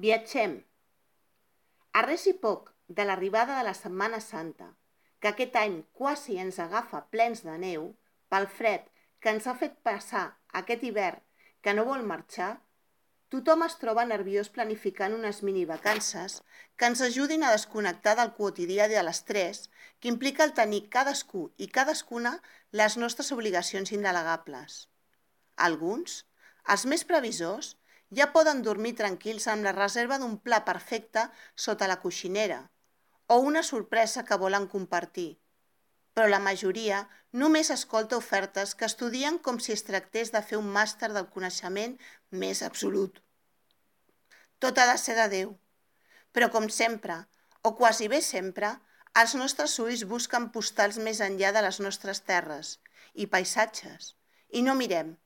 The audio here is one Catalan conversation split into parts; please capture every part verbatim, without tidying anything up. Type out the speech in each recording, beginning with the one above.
Viatgem. A res i poc de l'arribada de la Setmana Santa, que aquest any quasi ens agafa plens de neu, pel fred que ens ha fet passar aquest hivern que no vol marxar, tothom es troba nerviós planificant unes minivacances que ens ajudin a desconnectar del quotidià de l'estrès que implica el tenir cadascú i cadascuna les nostres obligacions indelegables. Alguns, els més previsors, ja poden dormir tranquils amb la reserva d'un pla perfecte sota la coixinera o una sorpresa que volen compartir, però la majoria només escolta ofertes que estudien com si es tractés de fer un màster del coneixement més absolut. Tot ha de ser de Déu, però com sempre, o quasi bé sempre, els nostres ulls busquen postals més enllà de les nostres terres i paisatges, i no mirem,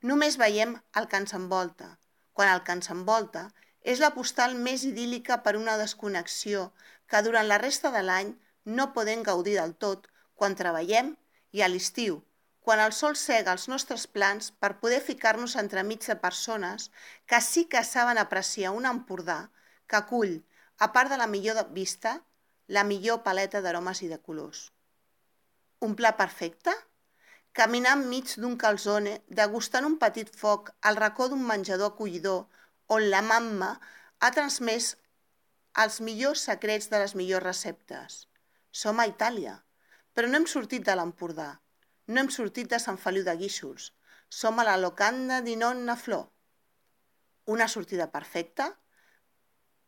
només veiem el que ens envolta, quan el que ens envolta és la postal més idíl·lica per una desconnexió que durant la resta de l'any no podem gaudir del tot quan treballem i a l'estiu, quan el sol cega els nostres plans per poder ficar-nos entremig de persones que sí que saben apreciar un Empordà que acull, a part de la millor vista, la millor paleta d'aromes i de colors. Un pla perfecte? Caminar enmig d'un calzone, degustant un petit foc al racó d'un menjador acollidor on la mamma ha transmès els millors secrets de les millors receptes. Som a Itàlia, però no hem sortit de l'Empordà, no hem sortit de Sant Feliu de Guíxols, som a la locanda di Nonna Flor. Una sortida perfecta?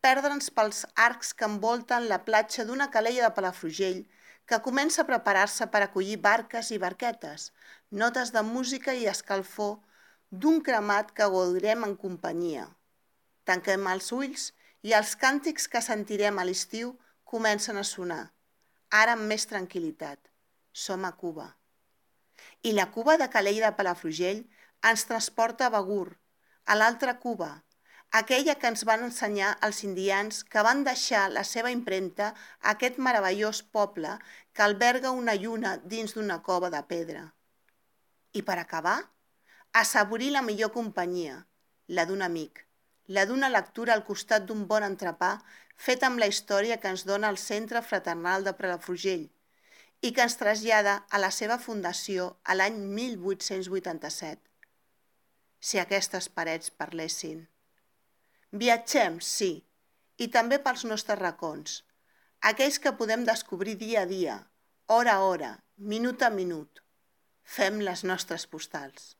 Perdre'ns pels arcs que envolten la platja d'una calella de Palafrugell que comença a preparar-se per acollir barques i barquetes, notes de música i escalfor d'un cremat que gaudirem en companyia. Tanquem els ulls i els càntics que sentirem a l'estiu comencen a sonar, ara amb més tranquil·litat. Som a Cuba. I la Cuba de Calella de Palafrugell ens transporta a Begur, a l'altra Cuba, aquella que ens van ensenyar els indians que van deixar la seva impremta a aquest meravellós poble que alberga una lluna dins d'una cova de pedra. I per acabar, assaborir la millor companyia, la d'un amic, la d'una lectura al costat d'un bon entrepà fet amb la història que ens dona el Centre Fraternal de Palafrugell i que ens trasllada a la seva fundació a l'any mil vuit-cents vuitanta-set. Si aquestes parets parlessin. Viatgem, sí, i també pels nostres racons, aquells que podem descobrir dia a dia, hora a hora, minut a minut. Fem les nostres postals.